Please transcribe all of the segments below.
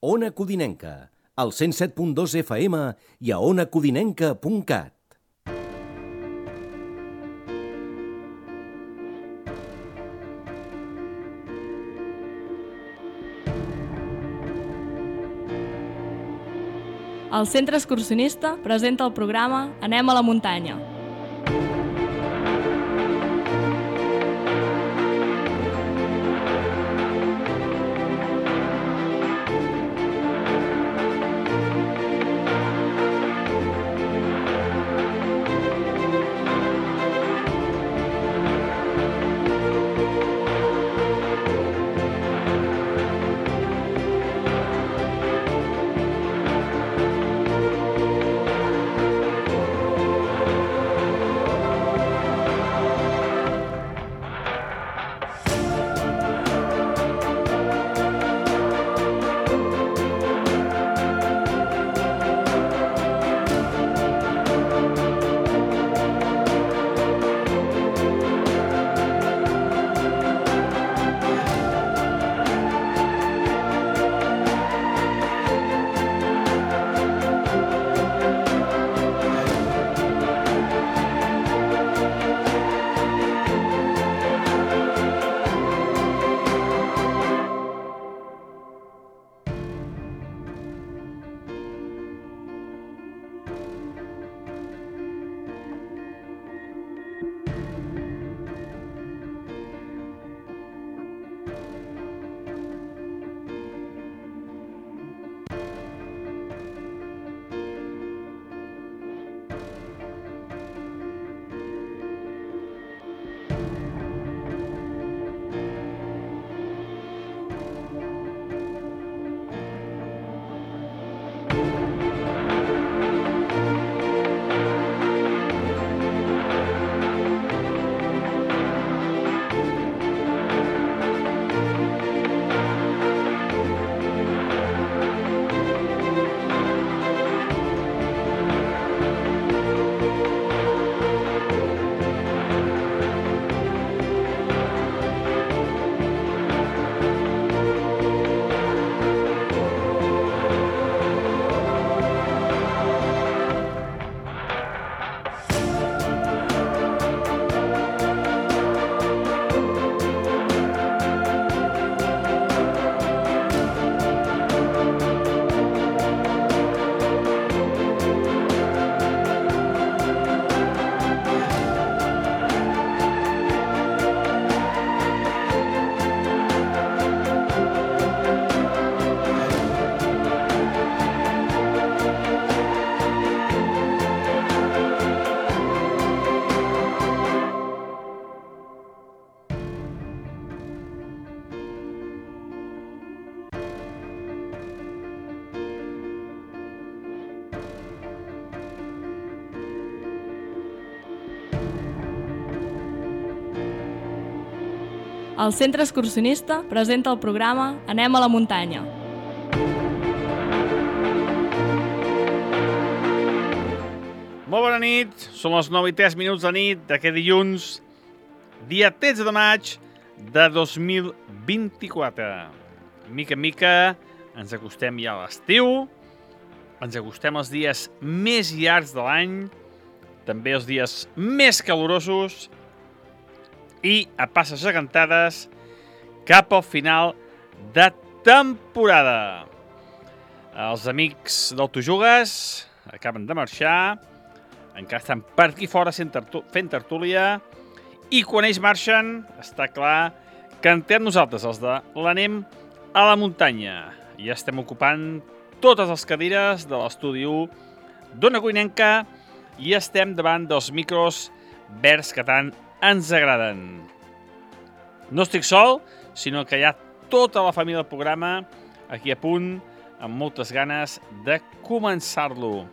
Ona Codinenca, al 107.2 FM i a onacodinenca.cat. El Centre Excursionista presenta el programa Anem a la muntanya. El Centre Excursionista presenta el programa Anem a la muntanya. Molt bona nit, són les 9:03 de nit d'aquest dilluns, dia 13 de maig de 2024. Mica en mica ens acostem ja a l'estiu, ens acostem als dies més llargs de l'any, també els dies més calorosos, i a passes gegantades cap al final de temporada. Els amics del Tu Jugues acaben de marxar, encara estan per aquí fora fent tertúlia, i quan ells marxen està clar que entrem nosaltres, els de l'Anem a la muntanya. Ja estem ocupant totes les cadires de l'estudi 1 d'Ona Codinenca i estem davant dels micros verds que tant ens agraden. No estic sol, sinó que hi ha tota la família del programa aquí a punt, amb moltes ganes de començar-lo.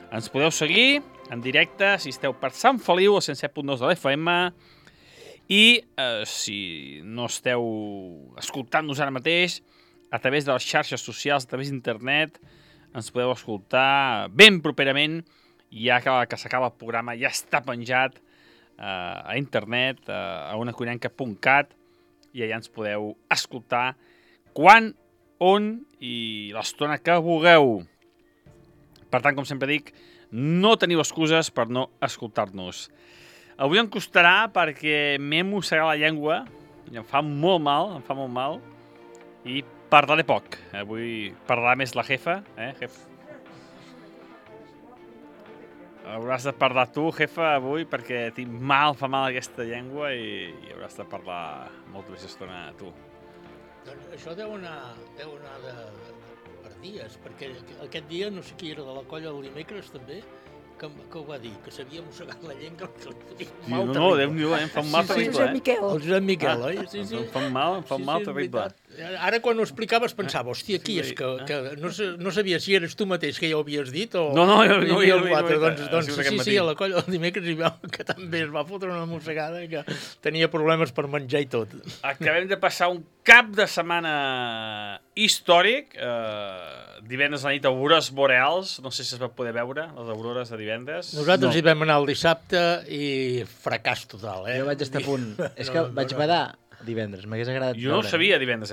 Ens podeu seguir en directe si esteu per Sant Feliu, al 107.2 de l'FM, i si no esteu escoltant-nos ara mateix, a través de les xarxes socials, a través d'internet, ens podeu escoltar ben properament, ja que s'acaba el programa, ja està penjat a internet, a onacodinenca.cat, i allà ens podeu escoltar quan on i l'estona que vulgueu. Per tant, com sempre dic, no teniu excuses per no escoltar-nos. Avui em costarà perquè m'he mossegat la llengua i em fa molt mal, i parlaré poc. Avui parlarà més la jefa, jefa? Hauràs de parlar tu, jefa, avui, perquè fa mal aquesta llengua i hauràs de parlar molta més estona tu. Doncs això deu anar per dies, perquè aquest dia no sé qui era de la colla del dimecres també, que ho va dir, que s'havia mossegat la llengua. No, Déu-n'hi-do, em fa un mal terrible. El Josep Miquel, oi? Em fa un mal terrible. Ara quan ho explicaves pensava, hòstia, qui és? Que no sabia si eres tu mateix que ja ho havies dit o... No, jo hi havia algú altre. Doncs sí, a la colla del dimecres hi veu que també es va fotre una mossegada i que tenia problemes per menjar i tot. Acabem de passar un cap de setmana històric, divendres a la nit, aurores boreals, no sé si es va poder veure, les aurores de divendres. Nosaltres hi vam anar el dissabte i fracàs total, Jo vaig estar a punt. És que vaig badar divendres, m'hagués agradat veure. Jo no ho sabia divendres,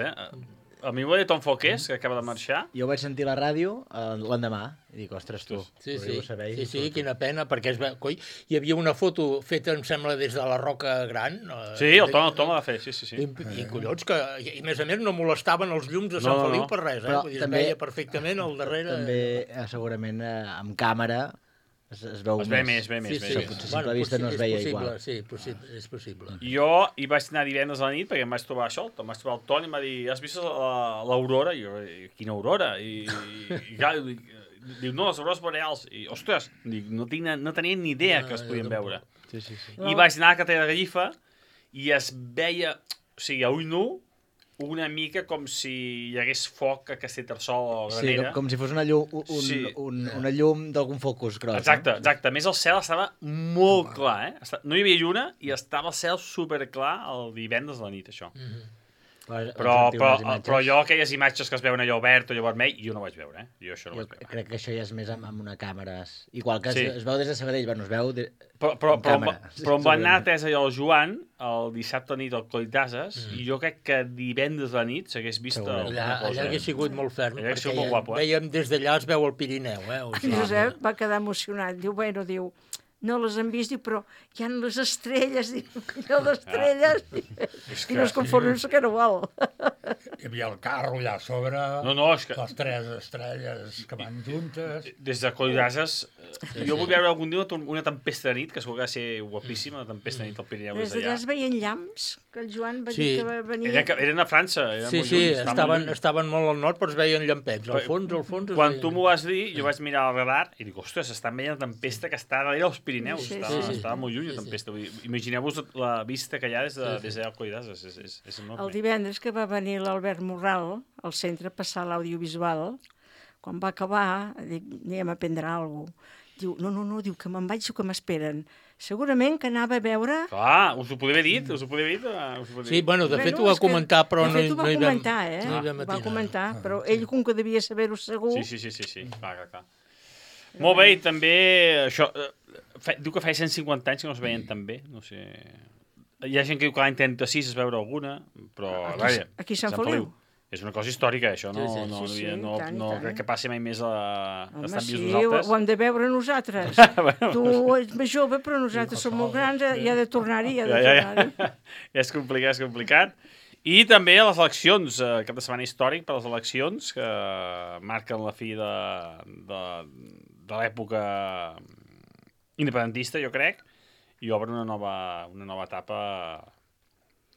A mi ho va dir Tom Folqués, que acaba de marxar. Jo vaig sentir la ràdio l'endemà i dic, ostres, tu, Sí, quina pena, perquè hi havia una foto feta, em sembla, des de la Roca Gran. Sí, el Tom la va fer, sí. I collons, i a més no molestaven els llums de Sant Feliu per res, Però vull dir, també, es veia perfectament al darrere. També, segurament, amb càmera es veu més. Es ve més. Potser simple vista no es veia igual. Sí, és possible. Jo hi vaig anar divendres a la nit perquè em vaig trobar això, em vaig trobar el Toni i em va dir, has vist l'aurora? I jo, quina aurora? I diu, no, les aurores boreals. I, ostres, no tenia ni idea que es podien veure. Sí. I vaig anar a Catella de Gallifa i es veia, o sigui, a ull nu, una mica com si hi hagués foc a Castellterçol o Granera. Sí, com si fos una llum d'algun focus gros. Exacte. A més, el cel estava molt clar, No hi havia lluna i estava el cel superclar el divendres a la nit, això. Però jo aquelles imatges que es veuen allò verd o allò vermell, jo no vaig veure, Jo això no vaig veure. Crec que això ja és més amb una càmera. Igual que es veu des de Sabadell, es veu però em va anar atès allò el Joan el dissabte a nit al Coll d'Ases i jo crec que divendres a la nit s'hagués vist allà hauria sigut molt ferm, perquè molt guapo, veiem des d'allà es veu el Pirineu. Josep va quedar emocionat, diu, no les han vist, però hi ha les estrelles, i no es conformen que no vol. Hi havia el carro allà a sobre, és que... les 3 estrelles que van juntes... Des de Coll d'Ases, jo vull veure algun dia una tempesta de nit, que segur que va ser guapíssima, una tempesta de nit al Pirineu des d'allà. Es veien llamps, que el Joan va dir que va venir... Eren a França. Sí, estaven molt al nord, però es veien llampets. Al fons... Quan tu m'ho vas dir, jo vaig mirar el radar i dic, ostres, estan veient la tempesta que està darrere els Pirineus. Estava molt lluny la tempesta. Imagineu-vos la vista que hi ha des d'allà al Coll d'Ases. És enorme. El divendres que va venir l'Albert Morral al centre a passar l'audiovisual, quan va acabar, dic, anem a prendre alguna cosa. Diu, no, diu que me'n vaig o que m'esperen. Segurament que anava a veure... Clar, us ho podria haver dit, Sí, de fet ho va comentar, però no hi vam... De fet ho va comentar, va comentar, però ell com que devia saber-ho segur... Sí, clar. Molt bé, i també això... Diu que feia 150 anys que no es veien tan bé, no sé... Hi ha gent que diu que l'any 36 es veure alguna, però... Aquí a Sant Feliu. És una cosa històrica, això, no crec que passi mai més estan vius nosaltres. Ho hem de veure nosaltres. Tu ets més jove, però nosaltres som molt grans i ha de tornar-hi. Ja és complicat. I també les eleccions, cap de setmana històric per les eleccions, que marquen la fi de l'època independentista, jo crec, i obren una nova etapa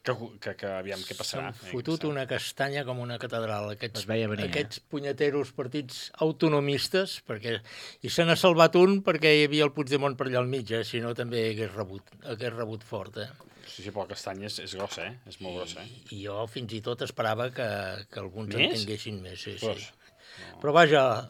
que aviam què passarà. S'han fotut una castanya com una catedral, aquests punyeteros partits autonomistes, i se n'ha salvat un perquè hi havia el Puigdemont per allà al mig, si no també hagués rebut fort. Sí, però la castanya és grossa, és molt grossa. I jo fins i tot esperava que alguns entenguessin més. Sí. Però vaja,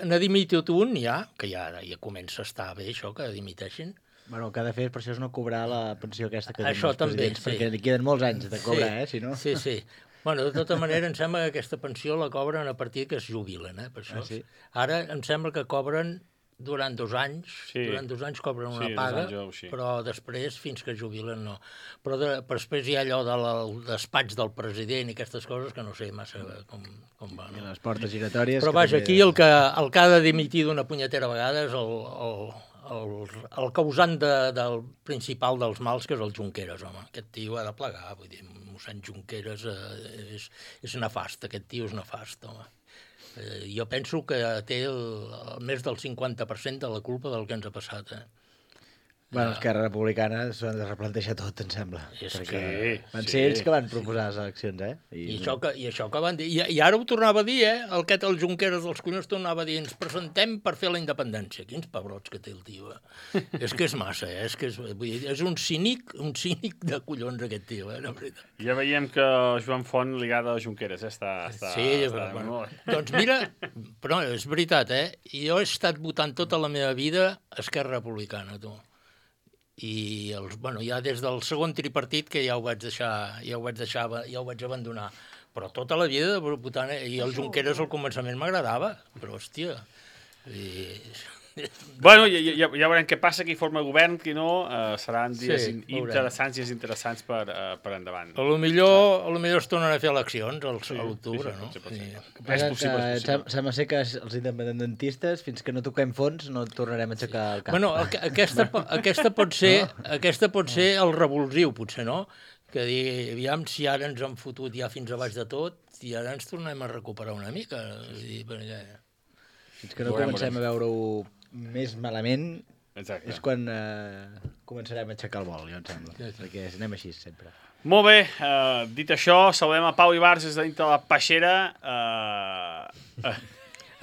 n'ha dimitit un ja, que ja comença a estar bé això, que dimiteixin. Bueno, el que ha de fer per això és no cobrar la pensió aquesta que tenen els presidents, perquè li queden molts anys de cobrar, si no... Sí. Bueno, de tota manera, em sembla que aquesta pensió la cobren a partir que es jubilen, per això. Sí. Ara em sembla que cobren durant 2 anys, durant 2 anys cobren una paga, però després, fins que jubilen, no. Però després hi ha allò del despatx del president i aquestes coses que no sé massa com va. I les portes giratòries... Però vaja, aquí el que ha de dimitir d'una punyetera vegada és el causant del principal dels mals, que és el Junqueras, home. Aquest tio ha de plegar, vull dir, mossèn Junqueras és nefast, aquest tio és nefast, home. Jo penso que té més del 50% de la culpa del que ens ha passat. Bueno, Esquerra Republicana s'ho han de replantejar tot, em sembla. Perquè van ser ells que van proposar les eleccions, I això que van dir. I ara ho tornava a dir, el Junqueras dels collons tornava a dir, ens presentem per fer la independència. Quins pebrots que té el tio, És que és massa, és un cínic de collons aquest tio, la veritat. Ja veiem que Joan Font ligada a Junqueras, Doncs mira, però és veritat, jo he estat votant tota la meva vida Esquerra Republicana, tu. I ja des del segon tripartit que ja ho vaig abandonar, però tota la vida votant, i el Junqueras al començament m'agradava, però hòstia... Bueno, ja veurem què passa, qui forma govern, qui no, seran dies interessants per endavant. A lo millor es tornen a fer eleccions a l'octubre, no? És possible. Sembla ser que els independentistes, fins que no toquem fons, no tornarem a aixecar el cap. Bueno, aquesta pot ser el revulsiu, potser, no? Que dir, aviam si ara ens han fotut ja fins a baix de tot i ara ens tornem a recuperar una mica. Fins que no comencem a veure-ho més malament, és quan començarem a aixecar el vol, jo em sembla, perquè anem així sempre. Molt bé, dit això, saludem a Pau Ibarz des de dintre la peixera.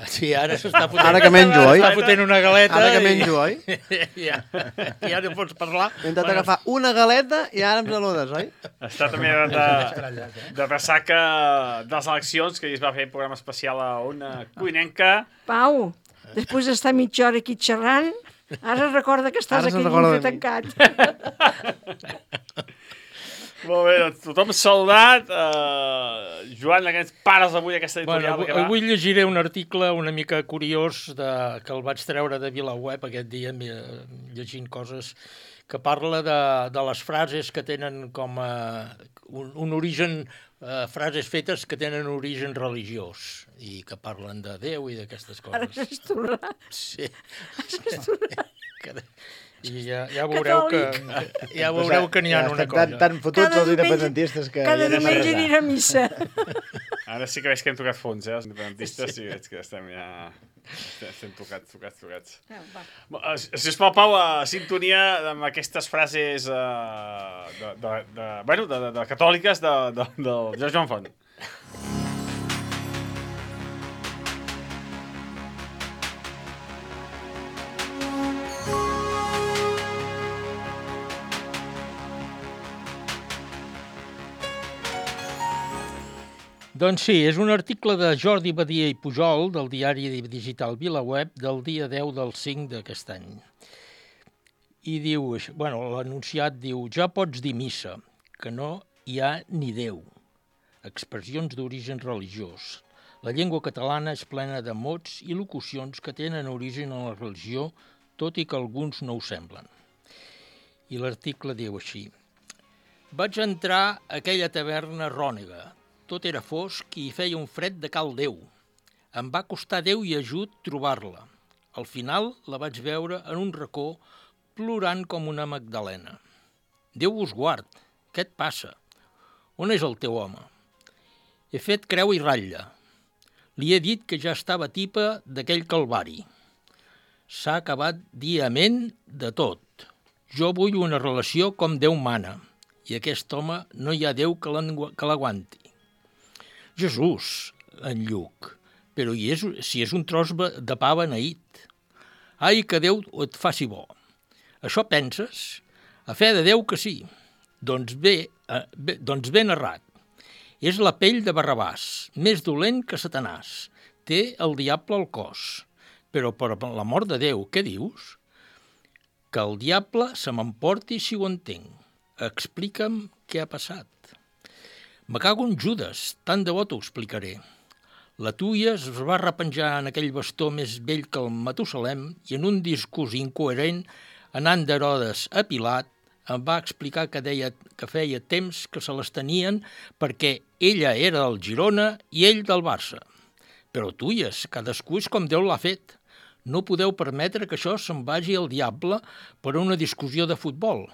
Sí, ara s'està fotent... Ara que menjo, oi? Està fotent una galeta. Ara que menjo, oi? Ja no pots parlar. He intentat agafar una galeta i ara em saludes, oi? Està també de ressaca de les eleccions, que es va fer un programa especial a una cuinenca. Pau, després d'estar mitja hora aquí xerrant, ara recorda que estàs aquí dintre tancat. Molt bé, doncs tothom saludat. Joan, aquests pares avui aquesta editorial. Avui llegiré un article una mica curiós que el vaig treure de VilaWeb aquest dia, llegint coses que parla de les frases que tenen com un origen, frases fetes que tenen origen religiós i que parlen de Déu i d'aquestes coses. Ara s'has tornat. Sí. I ja veureu que n'hi ha una cosa. Tan fotuts els independentistes que... Cada diumenge anirà a missa. Ara sí que veig que hem tocat fons, els independentistes, sí, veig que estem ja... Estem tocats. Sisplau, Pau, sintonia amb aquestes frases de catòliques de Joan Font. Doncs sí, és un article de Jordi Badia i Pujol del diari digital VilaWeb del dia 10 del 5 d'aquest any. I diu, l'enunciat diu, ja pots dir missa, que no hi ha ni Déu. Expressions d'origen religiós. La llengua catalana és plena de mots i locucions que tenen origen en la religió, tot i que alguns no ho semblen. I l'article diu així. Vaig entrar a aquella taverna rònega. Tot era fosc i feia un fred de cal Déu. Em va costar Déu i ajut trobar-la. Al final la vaig veure en un racó plorant com una magdalena. Déu vos guard, què et passa? On és el teu home? He fet creu i ratlla. Li he dit que ja estava tipa d'aquell calvari. S'ha acabat dir amén de tot. Jo vull una relació com Déu mana, i aquest home no hi ha Déu que l'aguanti. Jesús, en Lluc, però si és un tros de pa beneït. Ai, que Déu et faci bo. Això penses? A fe de Déu que sí. Doncs ben errat. És la pell de Barrabàs, més dolent que Satanàs. Té el diable al cos. Però per l'amor de Déu, què dius? Que el diable se m'emporti si ho entenc. Explica'm què ha passat. Me cago en Judes, tant de bo t'ho explicaré. La Tuia es va repenjar en aquell bastó més vell que el Matusalem i en un discurs incoherent, anant d'Herodes a Pilat, em va explicar que feia temps que se les tenien perquè ella era del Girona i ell del Barça. Però Tuies, cadascú és com Déu l'ha fet. No podeu permetre que això se'n vagi al diable per una discussió de futbol.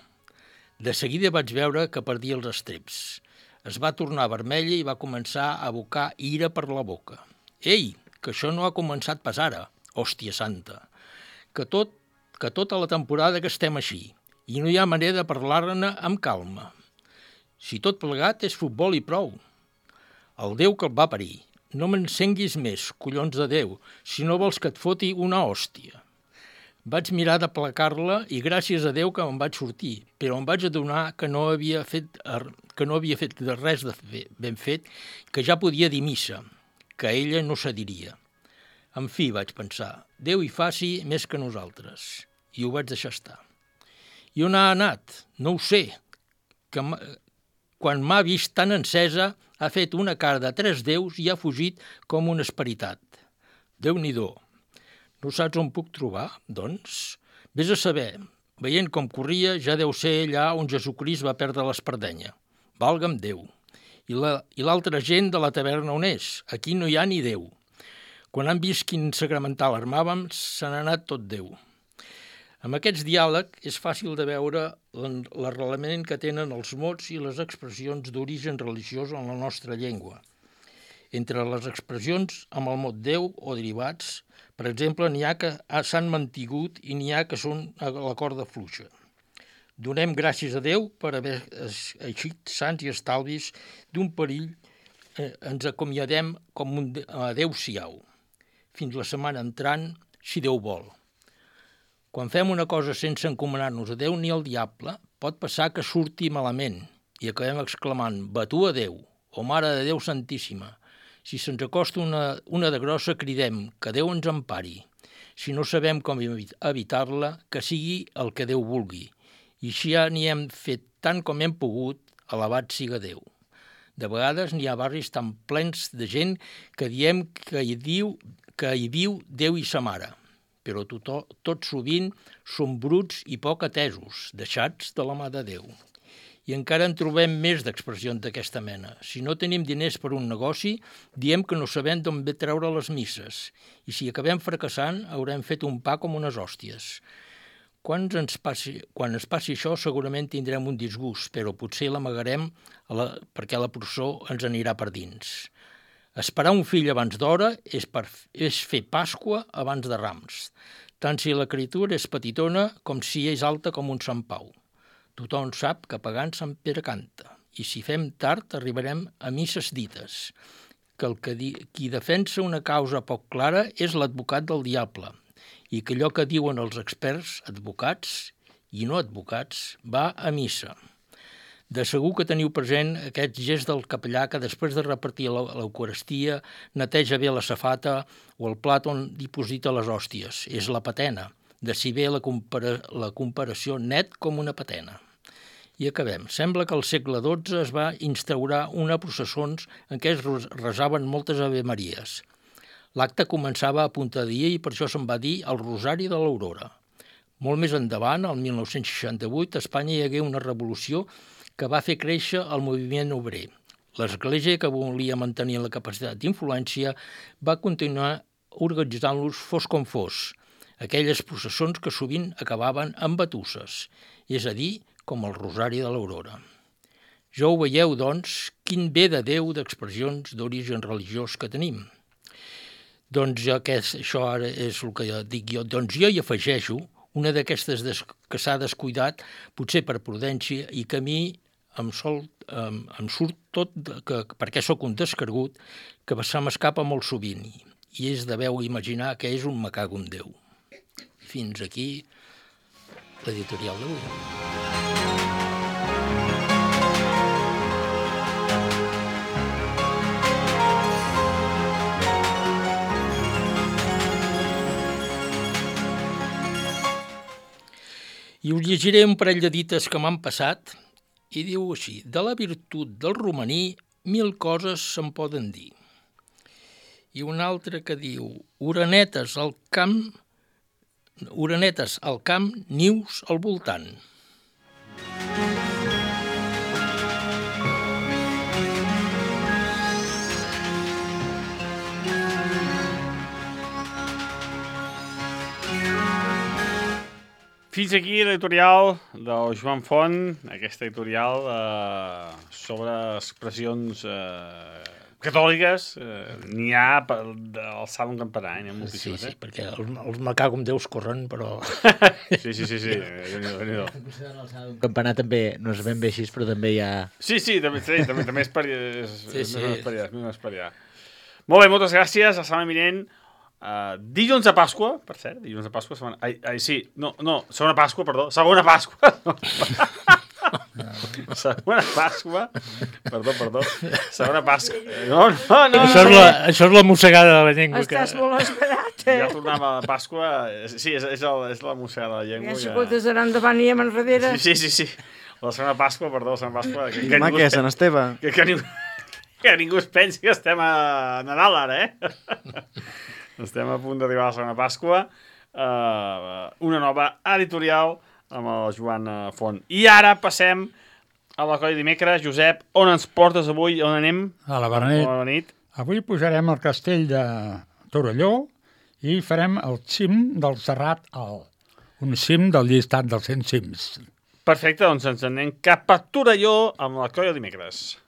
De seguida vaig veure que perdia els estreps. Es va tornar vermella i va començar a abocar ira per la boca. Ei, que això no ha començat pas ara, hòstia santa. Que tota la temporada que estem així i no hi ha manera de parlar-ne amb calma. Si tot plegat és futbol i prou. El Déu que el va parir. No m'encenguis més, collons de Déu, si no vols que et foti una hòstia. Vaig mirar de placar-la i gràcies a Déu que me'n vaig sortir, però em vaig adonar que no havia fet res de ben fet, que ja podia dir missa, que ella no cediria. En fi, vaig pensar, Déu hi faci més que nosaltres, i ho vaig deixar estar. I on ha anat? No ho sé. Quan m'ha vist tan encesa, ha fet una cara de 3 déus i ha fugit com un esperitat. Déu-n'hi-do. No saps on puc trobar, doncs? Vés a saber. Veient com corria, ja deu ser allà on Jesucrist va perdre l'espardenya. Valga'm Déu. I l'altra gent de la taverna on és? Aquí no hi ha ni Déu. Quan han vist quin sacramental armàvem, se n'ha anat tot Déu. Amb aquests diàlegs és fàcil de veure l'arrelament que tenen els mots i les expressions d'origen religiós en la nostra llengua. Entre les expressions amb el mot Déu o derivats, per exemple, n'hi ha que s'han mantingut i n'hi ha que són a la corda fluixa. Donem gràcies a Déu per haver eixit sants i estalvis d'un perill. Ens acomiadem com un adéu-siau. Fins la setmana entrant, si Déu vol. Quan fem una cosa sense encomanar-nos a Déu ni al diable, pot passar que surti malament i acabem exclamant «Batu a Déu» o «Mare de Déu Santíssima». Si se'ns acosta una de grossa, cridem «Que Déu ens empari». Si no sabem com evitar-la, que sigui el que Déu vulgui. I si ja n'hi hem fet tant com hem pogut, alabat siga Déu. De vegades n'hi ha barris tan plens de gent que diem que hi viu Déu i sa mare. Però tot sovint són bruts i poc atesos, deixats de la mà de Déu. I encara en trobem més d'expressions d'aquesta mena. Si no tenim diners per un negoci, diem que no sabem d'on ve treure les misses. I si acabem fracassant, haurem fet un pa com unes hòsties. Quan ens passi això, segurament tindrem un disgust, però potser l'amagarem perquè la processó ens anirà per dins. Esperar un fill abans d'hora és fer Pasqua abans de Rams, tant si la criatura és petitona com si és alta com un Sant Pau. Tothom sap que pagant Sant Pere canta, i si fem tard arribarem a misses dites, que qui defensa una causa poc clara és l'advocat del diable, i que allò que diuen els experts, advocats i no advocats, va a missa. De segur que teniu present aquest gest del capellà que després de repartir l'Eucaristia neteja bé la safata o el plat on diposita les hòsties. És la patena, de si bé la comparació net com una patena. I acabem. Sembla que al segle XII es va instaurar una processons en què es resaven moltes avemaries. L'acte començava a punta de dia i per això se'n va dir el Rosari de l'Aurora. Molt més endavant, el 1968, a Espanya hi hagué una revolució que va fer créixer el moviment obrer. L'Església, que volia mantenir la capacitat d'influència, va continuar organitzant-los fos com fos, aquelles processons que sovint acabaven amb batusses, és a dir, com el Rosari de l'Aurora. Ja ho veieu, doncs, quin bé de Déu d'expressions d'origen religiós que tenim. Doncs això ara és el que dic jo. Doncs jo hi afegeixo una d'aquestes que s'ha descuidat, potser per prudència, i que a mi em surt tot, perquè sóc un descregut, que se m'escapa molt sovint, i és deveu imaginar que és un me cago en Déu. Fins aquí l'editorial d'avui. I us llegiré un parell de dites que m'han passat i diu així: de la virtut del romaní 1000 coses se'n poden dir. i un altre que diu orenetes al camp, nius al voltant. Fins aquí l'editorial del Joan Font, aquesta editorial sobre expressions catòliques. N'hi ha d'alçar un campanar, n'hi ha moltíssimes. Sí, perquè els macà com Déus corren, però... Sí. Un campanar també no és ben bé així, però també hi ha... Sí, també és per allà. Molt bé, moltes gràcies, la setmana vinent. Dilluns de Pasqua, per cert, segona Pasqua. Segona Pasqua, perdó. Segona Pasqua. No. Això és la mossegada de la llengua. Estàs molt esperat, Ja tornava a Pasqua. Sí, és la mossegada de la llengua. Ja s'escoltes d'anar endavant i amb enrere. Sí. La segona Pasqua, perdó, la segona Pasqua. Demà què és, Sant Esteve? Que ningú es pensi que estem a Nadal, ara, Estem a punt d'arribar a la segona Pasqua. Una nova editorial amb el Joan Font. I ara passem a la colla dimecres. Josep, on ens portes avui? On anem? A la Berenit. Avui pujarem al castell de Torelló i farem el cim del Serrat Alt. Un cim del llistat dels 100 cims. Perfecte, doncs ens anem cap a Torelló amb la colla dimecres.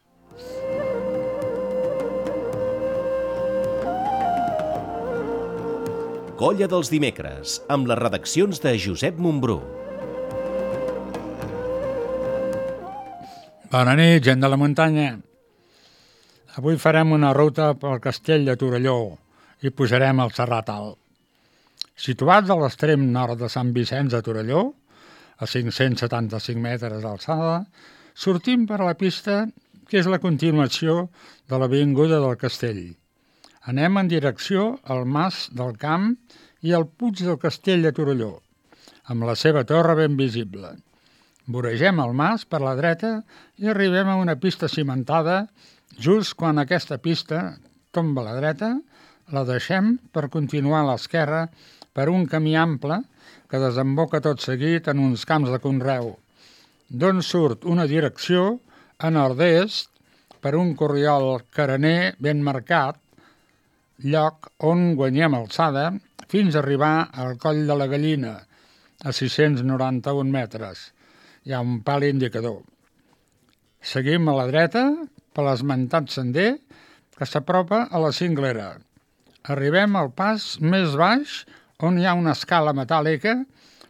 Colla dels dimecres, amb les redaccions de Josep Montbrú. Bona nit, gent de la muntanya. Avui farem una ruta pel castell de Torelló i pujarem al Serrat Alt. Situats a l'extrem nord de Sant Vicenç de Torelló, a 575 metres d'alçada, sortim per la pista que és la continuació de l'avinguda del castell. Anem en direcció al Mas del Camp i al Puig del Castell de Torelló, amb la seva torre ben visible. Voregem el mas per la dreta i arribem a una pista cimentada. Just quan aquesta pista tomba a la dreta, la deixem per continuar a l'esquerra per un camí ample que desemboca tot seguit en uns camps de conreu, d'on surt una direcció a nord-est per un corriol carener ben marcat, lloc on guanyem alçada fins a arribar al Coll de la Gallina, a 691 metres. Hi ha un pal indicador. Seguim a la dreta per l'esmentat sender que s'apropa a la cinglera. Arribem al pas més baix on hi ha una escala metàl·lica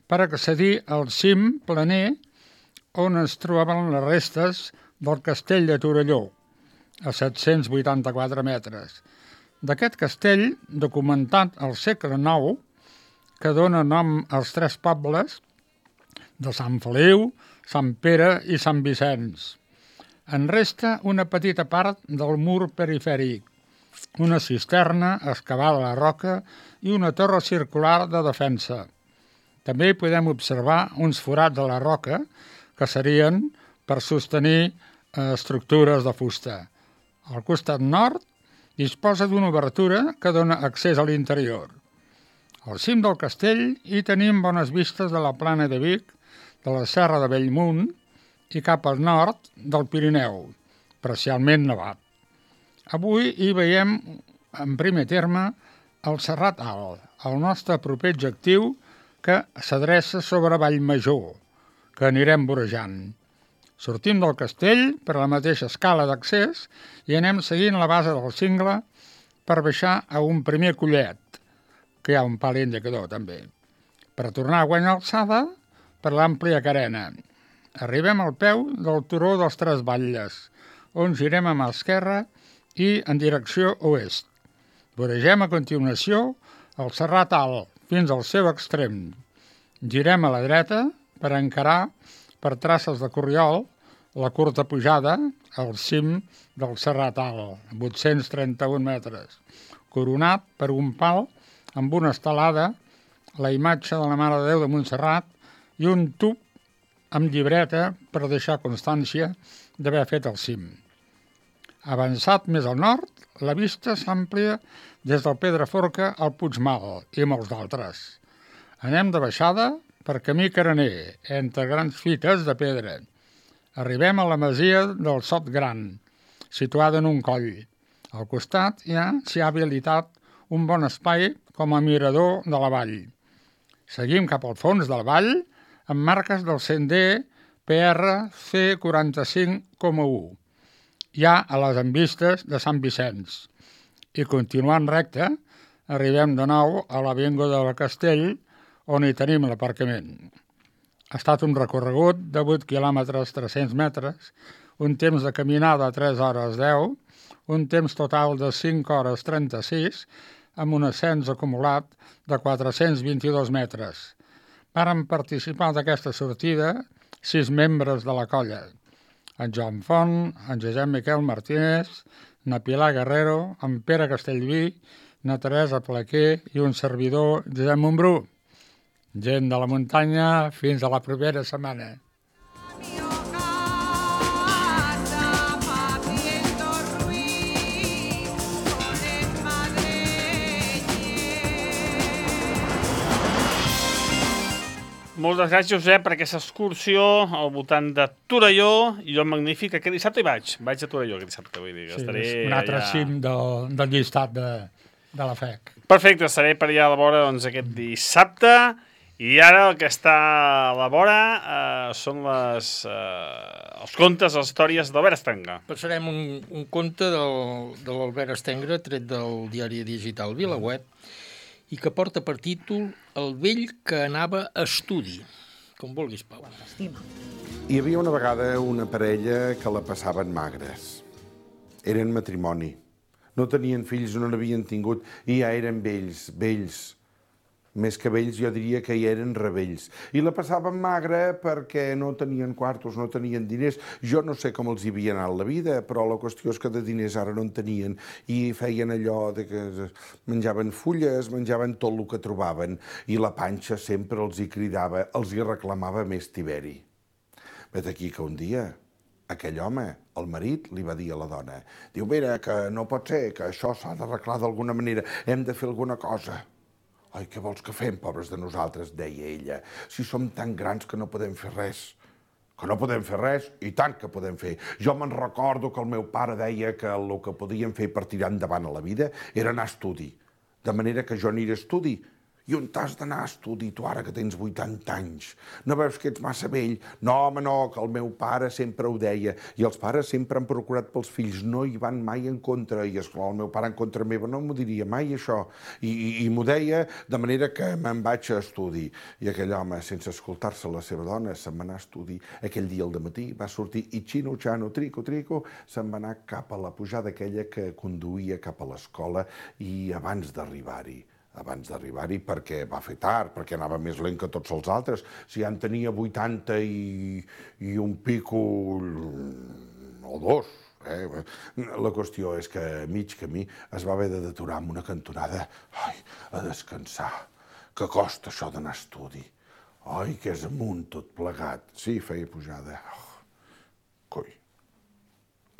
per accedir al cim planer on es trobaven les restes del castell de Torelló, a 784 metres. D'aquest castell, documentat al segle IX, que dona nom als 3 pobles de Sant Feliu, Sant Pere i Sant Vicenç. En resta una petita part del mur perifèric, una cisterna excavada a la roca i una torre circular de defensa. També podem observar uns forats a la roca que serien per sostenir estructures de fusta. Al costat nord disposa d'una obertura que dona accés a l'interior. Al cim del castell hi tenim bones vistes de la plana de Vic, de la Serra de Bellmunt i cap al nord del Pirineu, parcialment nevat. Avui hi veiem en primer terme el Serrat Alt, el nostre proper objectiu que s'adreça sobre Vallmajor, que anirem vorejant. Sortim del castell per la mateixa escala d'accés i anem seguint la base del cingle per baixar a un primer collet, que hi ha un pal indicador també, per tornar a guanyar alçada per l'àmplia carena. Arribem al peu del turó dels 3 Batlles, on girem a mà esquerra i en direcció oest. Voregem a continuació el Serrat Alt fins al seu extrem. Girem a la dreta per encarar per traces de corriol la curta pujada al cim del Serrat Alt, 831 metres, coronat per un pal amb una estelada, la imatge de la Mare de Déu de Montserrat i un tub amb llibreta per deixar constància d'haver fet el cim. Avançat més al nord, la vista s'àmplia des del Pedraforca al Puigmal i molts d'altres. Anem de baixada per camí carener, entre grans fites de pedra. Arribem a la masia del Sot Gran, situada en un coll. Al costat s'hi ha habilitat un bon espai com a mirador de la vall. Seguim cap al fons del vall amb marques del sender PRC 45,1. Ja a les envistes de Sant Vicenç. I continuant recte, arribem de nou a l'avinguda del Castell, on hi tenim l'aparcament. Ha estat un recorregut de 8 quilòmetres 300 metres, un temps de caminada de 3 hores 10, un temps total de 5 hores 36, amb un ascens acumulat de 422 metres. Varen participar d'aquesta sortida 6 membres de la colla: en Joan Font, en Josep Miquel Martínez, na Pilar Guerrero, en Pere Castellví, na Teresa Plaquer i un servidor, Josep Montbrú. Gent de la muntanya, fins a la propera setmana. Moltes gràcies, Josep, per aquesta excursió al voltant de Torelló. I jo magnífic, aquest dissabte hi vaig. Vaig a Torelló aquest dissabte, vull dir. Sí, Estaré és un altre cim del llistat de la FEC. Perfecte, estaré per allà a la vora aquest dissabte. I ara el que està a la vora són els contes, les històries d'Albert Estenga. Passarem un conte de l'Albert Estenga, tret del diari digital VilaWeb, i que porta per títol El vell que anava a estudi. Com vulguis, Pau. Hi havia una vegada una parella que la passaven magres. Eren matrimoni. No tenien fills, no n'havien tingut, i ja eren vells. Més que vells, jo diria que ja eren rebells. I la passaven magra perquè no tenien quartos, no tenien diners. Jo no sé com els hi havia anat la vida, però la qüestió és que de diners ara no en tenien. I feien allò de que menjaven fulles, menjaven tot el que trobaven. I la panxa sempre els hi cridava, els hi reclamava més tiberi. Vet aquí que un dia aquell home, el marit, li va dir a la dona: diu, mira, que no pot ser, que això s'ha d'arreglar d'alguna manera, hem de fer alguna cosa. Ai, què vols que fem, pobres de nosaltres, deia ella, si som tan grans que no podem fer res. Que no podem fer res? I tant que podem fer. Jo me'n recordo que el meu pare deia que el que podíem fer per tirar endavant a la vida era anar a estudi. De manera que jo aniré a estudi. I on t'has d'anar a estudi, tu ara que tens 80 anys? No veus que ets massa vell? No, home, no, que el meu pare sempre ho deia. I els pares sempre han procurat pels fills, no hi van mai en contra. I, esclar, el meu pare en contra meva no m'ho diria mai, això. I m'ho deia de manera que me'n vaig a estudi. I aquell home, sense escoltar-se la seva dona, se'n va anar a estudi. Aquell dia al dematí va sortir i xino-xano, trico-trico, se'n va anar cap a la pujada aquella que conduïa cap a l'escola i abans d'arribar-hi, perquè va fer tard, perquè anava més lent que tots els altres. Si ja en tenia 80 i un pico o 2. La qüestió és que a mig camí es va haver d'aturar en una cantonada a descansar. Que costa això d'anar a estudi. Ai, que és amunt tot plegat. Sí, feia pujada. Coi.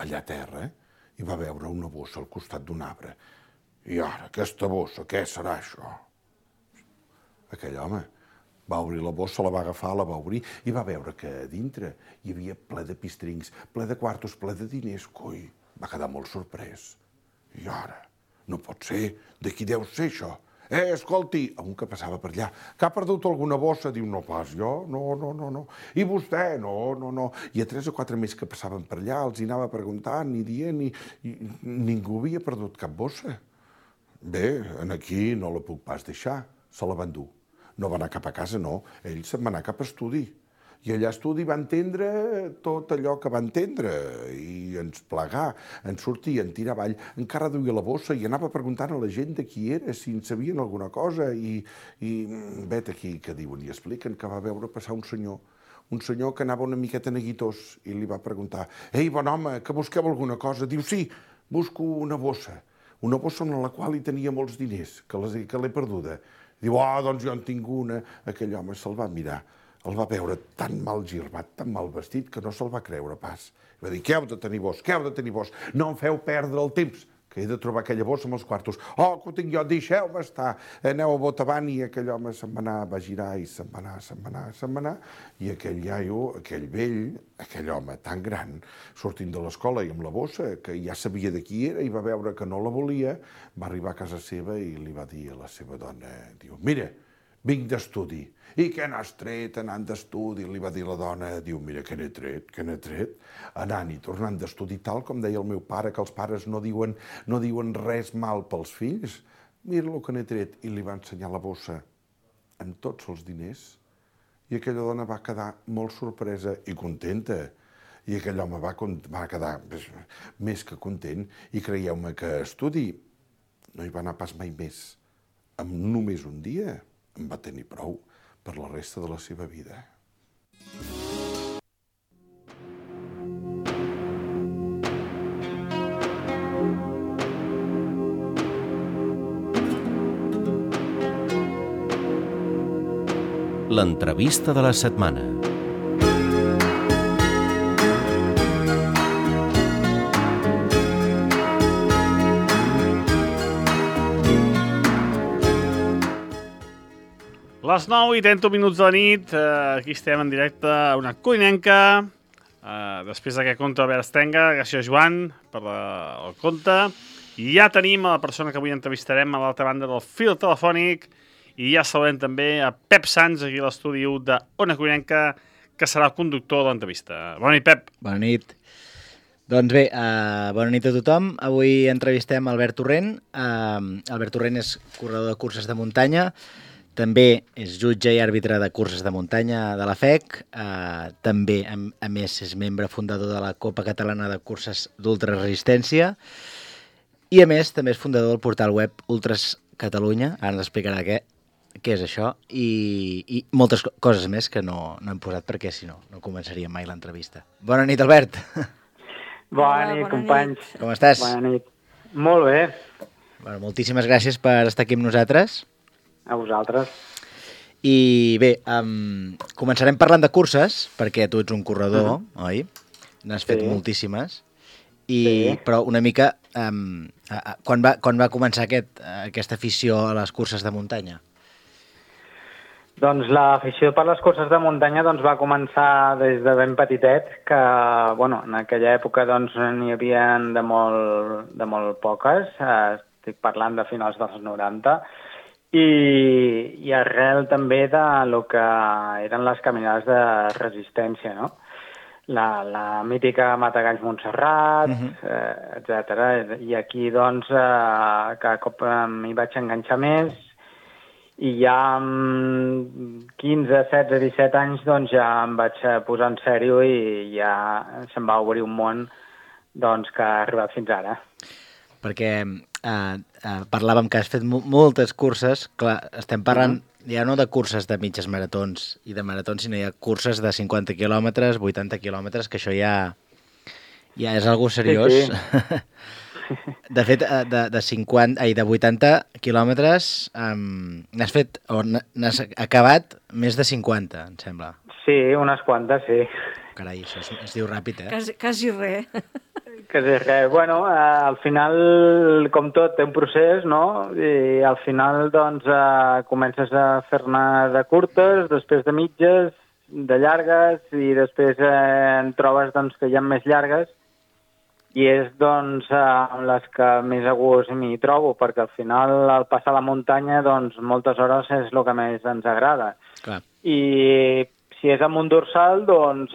Allà a terra hi va veure una bossa al costat d'un arbre. I ara, aquesta bossa, què serà això? Aquell home va obrir la bossa, la va agafar, la va obrir i va veure que a dintre hi havia ple de pistrincs, ple de quartos, ple de diners. Coi, va quedar molt sorprès. I ara, no pot ser, de qui deu ser això? Escolti, a un que passava per allà, que ha perdut alguna bossa, diu, no pas jo, no. I vostè, no. I a 3 o 4 més que passaven per allà, els hi anava preguntant i dient, i ningú havia perdut cap bossa. Bé, aquí no la puc pas deixar, se la van dur. No va anar cap a casa, no, ell se'n va anar cap a estudi. I allà a estudi va entendre tot allò que va entendre, i ens plegar, en sortir, en tirar avall, encara duia la bossa i anava preguntant a la gent de qui era, si en sabien alguna cosa, i vet aquí que diuen i expliquen que va veure passar un senyor que anava una miqueta neguitós, i li va preguntar: «Ei, bon home, que busqueu alguna cosa?» Diu: «Sí, busco una bossa en la qual hi tenia molts diners, que l'he perduda». Diu: «Ah, doncs jo en tinc una». Aquell home se'l va mirar el va veure tan mal girbat, tan mal vestit, que no se'l va creure pas. Va dir, què heu de tenir vos? Què heu de tenir vos? No em feu perdre el temps, que he de trobar aquella bossa amb els quartos. Oh, que ho tinc jo, deixeu-me estar. Aneu a Botavant, i aquell home se'n va anar, va girar i se'n va anar, i aquell iaio, aquell vell, aquell home tan gran, sortint de l'escola i amb la bossa, que ja sabia de qui era i va veure que no la volia, va arribar a casa seva i li va dir a la seva dona, diu, mira, vinc d'estudi. I què n'has tret anant d'estudi? Li va dir la dona, diu, mira, què n'he tret? Anant i tornant d'estudi, tal com deia el meu pare, que els pares no diuen res mal pels fills. Mira el que n'he tret. I li va ensenyar la bossa amb tots els diners. I aquella dona va quedar molt sorpresa i contenta. I aquell home va quedar més que content. I creieu-me que estudi no hi va anar pas mai més. Amb només un dia en va tenir prou per la resta de la seva vida. L'entrevista de la setmana. Les 9:30 de la nit, aquí estem en directe a una cuinenca, després d'aquest conte d'Albert Estenga, gràcies Joan per el conte, i ja tenim a la persona que avui entrevistarem a l'altra banda del fil telefònic, i ja saludem també a Pep Sans, aquí a l'estudi d'Ona Cuinenca, que serà el conductor de l'entrevista. Bona nit, Pep. Bona nit. Doncs bé, bona nit a tothom. Avui entrevistem Albert Torrent. Albert Torrent és corredor de curses de muntanya, també és jutge i àrbitre de curses de muntanya de la FEC, també, a més, és membre fundador de la Copa Catalana de Curses d'Ultraresistència i, a més, també és fundador del portal web Ultras Catalunya, ara ens explicarà què és això, i moltes coses més que no hem posat perquè, si no, no començaríem mai l'entrevista. Bona nit, Albert! Bona nit, companys. Com estàs? Bona nit. Molt bé. Bueno, moltíssimes gràcies per estar aquí amb nosaltres. A vosaltres. I bé, començarem parlant de curses, perquè tu ets un corredor, oi? N'has fet moltíssimes. Però una mica, quan va començar aquesta afició a les curses de muntanya? Doncs l'afició per les curses de muntanya va començar des de ben petitet, que en aquella època n'hi havia de molt poques, estic parlant de finals dels 90, i arrel també de lo que eren les caminades de resistència, no? La mítica Matagalls Montserrat, etc. I aquí, cada cop m'hi vaig enganxar més, i ja amb 15, 16, 17 anys ja em vaig posar en sèrio i ja se'm va obrir un món que ha arribat fins ara. Perquè parlàvem que has fet moltes curses, clar, estem parlant ja no de curses de mitges maratons i de maratons, sinó hi ha curses de 50 quilòmetres, 80 quilòmetres, que això ja és algo seriós. Sí. De fet, de 80 quilòmetres n'has fet, o n'has acabat més de 50, em sembla. Sí, unes quantes, sí. Carai, això es diu ràpid, Quasi res. Quasi res. Al final, com tot, té un procés, no? I al final, comences a fer-ne de curtes, després de mitges, de llargues, i després en trobes que hi ha més llargues, i és amb les que més a gust m'hi trobo, perquè al final, al passar la muntanya, moltes hores és el que més ens agrada. Clar. I si és amb un dorsal,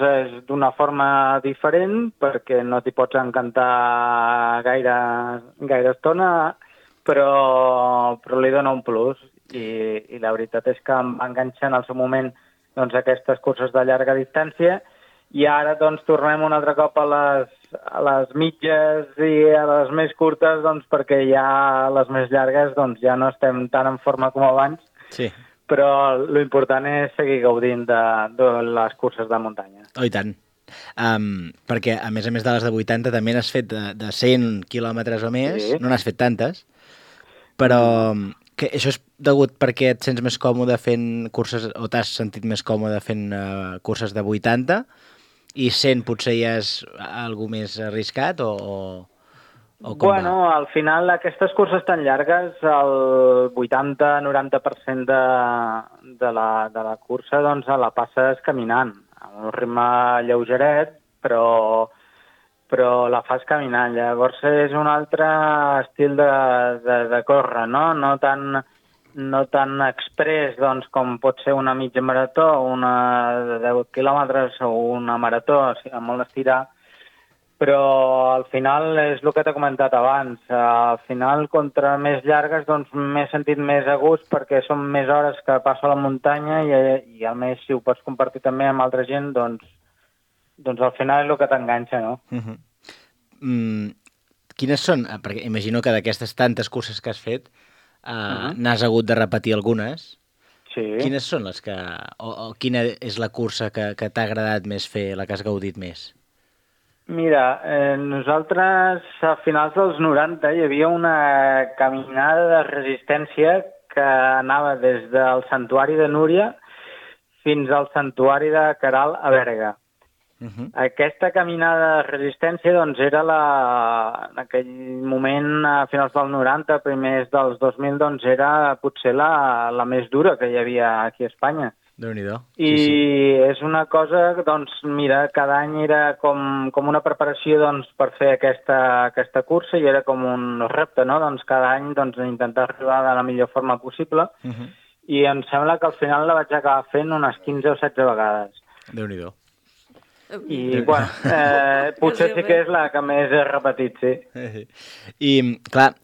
és d'una forma diferent, perquè no t'hi pots encantar gaire estona, però li dona un plus. I la veritat és que em va enganxar en el seu moment aquestes curses de llarga distància, i ara tornem un altre cop a les mitges i a les més curtes, perquè ja les més llargues ja no estem tan en forma com abans. Sí. Però l'important és seguir gaudint de les curses de muntanya. Oh, i tant. Perquè, a més de les de 80, també n'has fet de 100 quilòmetres o més, sí. No n'has fet tantes, però Que això és degut perquè et sents més còmode fent curses, o t'has sentit més còmode fent curses de 80, i 100 potser ja és algú més arriscat, o com Bueno, al final aquestes curses tan llargues, el 80-90% de la cursa doncs la passes caminant, a un ritme lleugeret, però la fas caminant. Llavors és un altre estil de córrer, no? No tan express doncs, com pot ser una mitja marató, una de 10 quilòmetres o una marató, o sigui, molt estirar, però al final és el que t'he comentat abans. Al final, contra més llargues, doncs m'he sentit més a gust perquè són més hores que passo a la muntanya i a més, si ho pots compartir també amb altra gent, doncs al final és el que t'enganxa, no? Quines són? Perquè imagino que d'aquestes tantes curses que has fet n'has hagut de repetir algunes. Sí. Quines són les que... o quina és la cursa que t'ha agradat més fer, la que has gaudit més? Mira, nosaltres a finals dels 90 hi havia una caminada de resistència que anava des del Santuari de Núria fins al Santuari de Queralt a Berga. Aquesta caminada de resistència doncs, era en aquell moment, a finals del 90, primers dels 2000, doncs, era potser la més dura que hi havia aquí a Espanya. Déu-n'hi-do. I és una cosa, doncs, mira, cada any era com una preparació doncs, per fer aquesta cursa i era com un repte, no? Doncs cada any doncs, intentar arribar de la millor forma possible i em sembla que al final la vaig acabar fent unes 15 o 16 vegades. Déu-n'hi-do. I, bueno, potser sí que és la que més he repetit, sí. I, clar,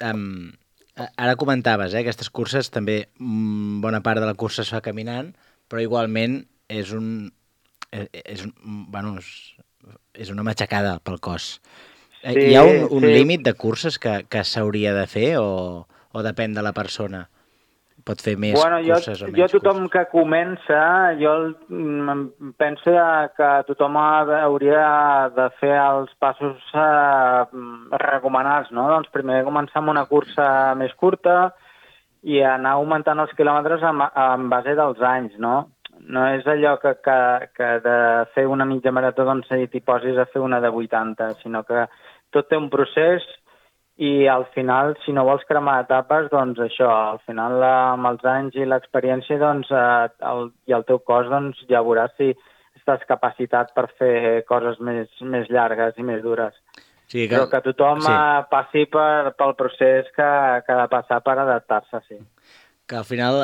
ara comentaves, aquestes curses també, bona part de la cursa es fa caminant, però igualment és una matxacada pel cos. Sí, hi ha un límit de curses que s'hauria de fer o depèn de la persona? Pot fer més curses o menys curses? Jo tothom que comença, jo penso que tothom hauria de fer els passos recomanats, no? Doncs primer començar amb una cursa més curta i anar augmentant els quilòmetres en base dels anys, no? No és allò que de fer una mitja marató doncs t'hi posis a fer una de 80, sinó que tot té un procés i al final, si no vols cremar etapes, doncs això, al final amb els anys i l'experiència doncs, i el teu cos doncs, ja veuràs si estàs capacitat per fer coses més llargues i més dures. Sí, però que tothom passi pel procés que ha de passar per adaptar-se, sí. Que al final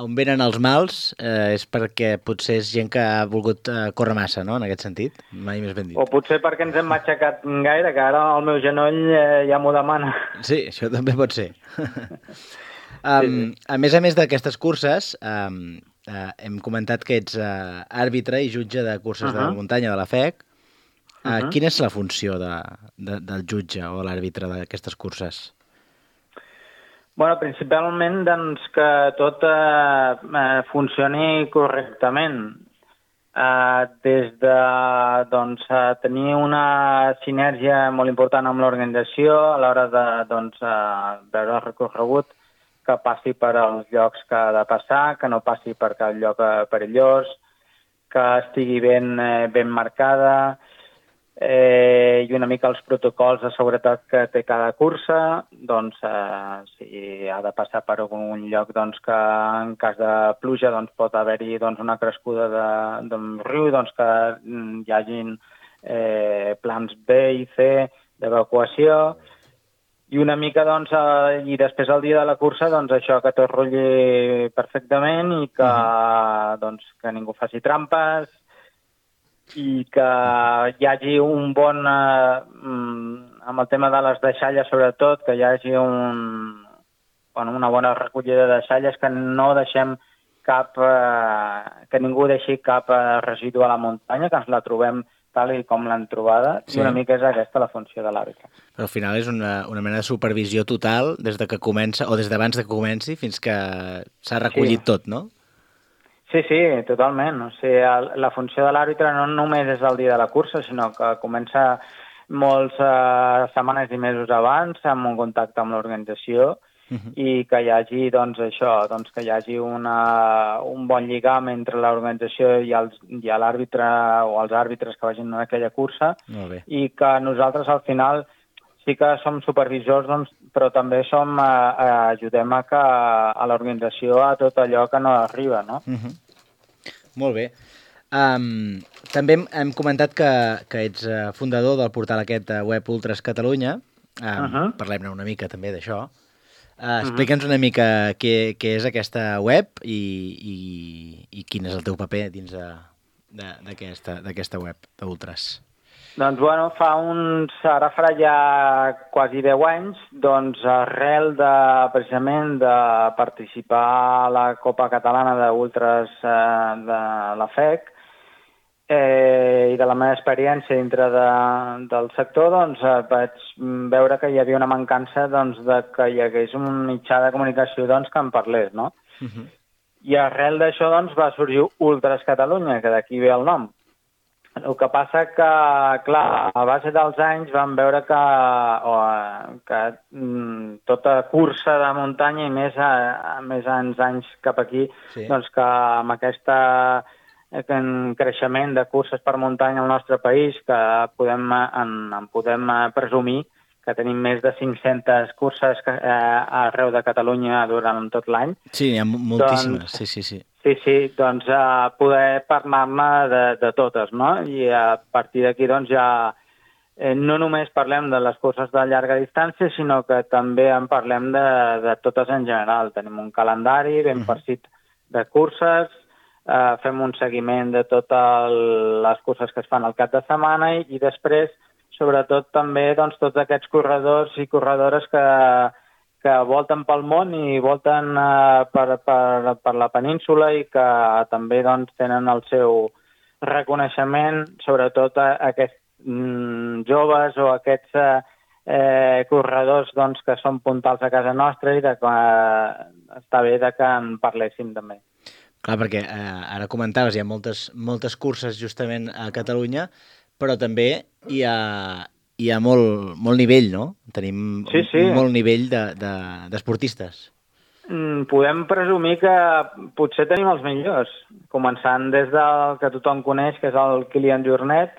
on venen els mals és perquè potser és gent que ha volgut córrer massa, no?, en aquest sentit, mai més ben dit. O potser perquè ens hem matxacat gaire, que ara el meu genoll ja m'ho demana. Sí, això també pot ser. A més d'aquestes curses, hem comentat que ets àrbitre i jutge de curses de muntanya de la FEC. Quina és la funció del jutge o l'àrbitre d'aquestes curses? Bueno, principalment doncs, que tot funcioni correctament. Des de tenir una sinergia molt important amb l'organització a l'hora de veure el recorregut, que passi per als llocs que ha de passar, que no passi per cap lloc perillós, que estigui ben marcada, i una mica els protocols de seguretat que té cada cursa, doncs si ha de passar per algun lloc doncs, que en cas de pluja doncs, pot haver-hi doncs, una crescuda d'un riu, doncs, que hi hagin plans B i C d'evacuació, i una mica, doncs, i després el dia de la cursa, doncs això, que tot rotlli perfectament i que, doncs, que ningú faci trampes, i que hi hagi un bon, amb el tema de les deixalles sobretot, que hi hagi una bona recollida de deixalles, que no deixem que ningú deixi cap residu a la muntanya, que ens la trobem tal com l'han trobada, i una mica és aquesta la funció de l'àrbitre. Però al final és una mena de supervisió total des de que comença, o des d'abans que comenci, fins que s'ha recollit tot, no? Sí, totalment. O sigui, la funció de l'àrbitre no només és el dia de la cursa, sinó que comença moltes setmanes i mesos abans, amb un contacte amb l'organització, i que hi hagi, doncs, això, doncs, que hi hagi un bon lligam entre l'organització i l'àrbitre o els àrbitres que vagin en aquella cursa, i que nosaltres al final sí que som supervisors, doncs, però també ajudem a l'organització a tot allò que no arriba, no? Molt bé. També hem comentat que ets fundador del portal aquest web Ultras Catalunya. Parlem-ne una mica també d'això. Explica'ns una mica què és aquesta web i quin és el teu paper dins d'aquesta web d'Ultras. Doncs, bueno, ara farà ja quasi 10 anys, doncs, arrel precisament de participar a la Copa Catalana d'Ultras de la FEC, i de la meva experiència dintre del sector, doncs, vaig veure que hi havia una mancança, doncs, de que hi hagués un mitjà de comunicació, doncs, que en parlés, no? I arrel d'això, doncs, va sorgir Ultras Catalunya, que d'aquí ve el nom. El que passa que, clar, a base dels anys vam veure que tota cursa de muntanya, i més anys cap aquí, doncs, que amb aquesta creixement de curses per muntanya al nostre país, que podem presumir que tenim més de 500 curses arreu de Catalunya durant tot l'any. Sí, hi ha moltíssimes, sí. Sí, doncs poder parlar-ne de totes, no? I a partir d'aquí, doncs, ja no només parlem de les curses de llarga distància, sinó que també en parlem de totes en general. Tenim un calendari ben farcit de curses, fem un seguiment de totes les curses que es fan al cap de setmana i després, sobretot, també doncs, tots aquests corredors i corredores que volten pel món i volten per la península i que també, doncs, tenen el seu reconeixement, sobretot aquests joves o aquests corredors, doncs, que són puntals a casa nostra i està bé que en parléssim també. Clar, perquè ara comentaves, hi ha moltes curses justament a Catalunya, però també hi ha molt nivell, no? Tenim molt nivell d'esportistes. Podem presumir que potser tenim els millors, començant des del que tothom coneix, que és el Kilian Jornet,